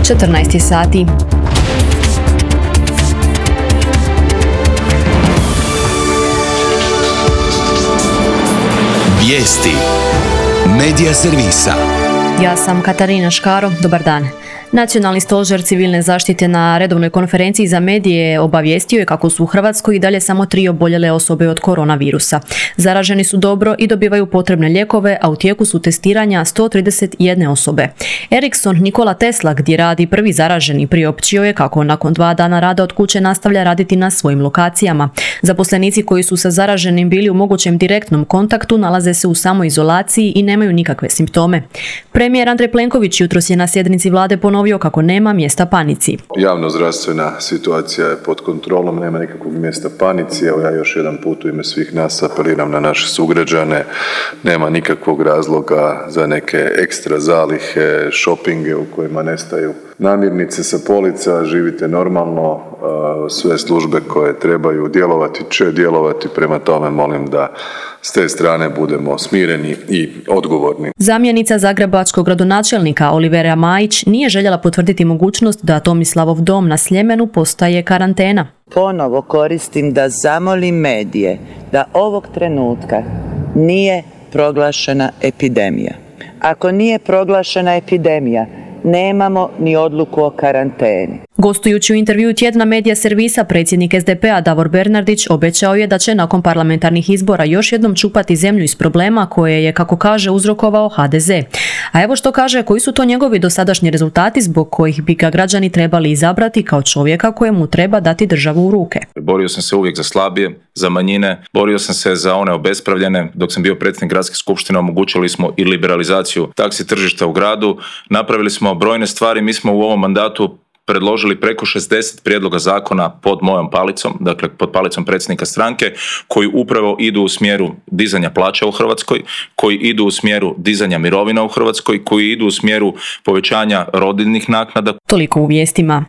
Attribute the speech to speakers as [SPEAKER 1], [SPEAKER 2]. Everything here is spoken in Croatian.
[SPEAKER 1] 14 sati.
[SPEAKER 2] Vijesti Medija servisa.
[SPEAKER 1] Ja sam Katarina Škaro, dobar dan. Nacionalni stožer civilne zaštite na redovnoj konferenciji za medije obavijestio je kako su u Hrvatskoj i dalje samo 3 oboljele osobe od koronavirusa. Zaraženi su dobro i dobivaju potrebne lijekove, a u tijeku su testiranja 131 osobe. Ericsson Nikola Tesla, gdje radi prvi zaraženi, priopćio je kako nakon 2 dana rada od kuće nastavlja raditi na svojim lokacijama. Zaposlenici koji su sa zaraženim bili u mogućem direktnom kontaktu nalaze se u samoizolaciji i nemaju nikakve simptome. Premijer Andrej Plenković jutros je na sjednici vlade ponovio kako nema mjesta panici.
[SPEAKER 3] Javnozdravstvena situacija je pod kontrolom, nema nikakvog mjesta panici. Evo ja još jedan put u ime svih nas apeliram na naše sugrađane. Nema nikakvog razloga za neke ekstra zalihe, šopinge u kojima nestaju namirnice sa polica. Živite normalno, sve službe koje trebaju djelovati će djelovati, prema tome molim da s te strane budemo smireni i odgovorni.
[SPEAKER 1] Zamjenica zagrebačkog gradonačelnika Olivera Majić nije željela potvrditi mogućnost da Tomislavov dom na Sljemenu postaje karantena.
[SPEAKER 4] Ponovo koristim da zamolim medije da ovog trenutka nije proglašena epidemija. Ako nije proglašena epidemija, nemamo ni odluku o karanteni.
[SPEAKER 1] Gostujući u intervjuu tjedna Medija servisa, predsjednik SDP-a Davor Bernardić obećao je da će nakon parlamentarnih izbora još jednom čupati zemlju iz problema koje je, kako kaže, uzrokovao HDZ. A evo što kaže, koji su to njegovi dosadašnji rezultati zbog kojih bi ga građani trebali izabrati kao čovjeka kojemu treba dati državu u ruke.
[SPEAKER 5] Borio sam se uvijek za slabije, za manjine, borio sam se za one obespravljene. Dok sam bio predsjednik gradske skupštine omogućili smo i liberalizaciju taksi tržišta u gradu, napravili smo brojne stvari. Mi smo u ovom mandatu predložili preko 60 prijedloga zakona pod mojom palicom, dakle pod palicom predsjednika stranke, koji upravo idu u smjeru dizanja plaća u Hrvatskoj, koji idu u smjeru dizanja mirovina u Hrvatskoj, koji idu u smjeru povećanja rodiljnih naknada.
[SPEAKER 1] Toliko u vijestima.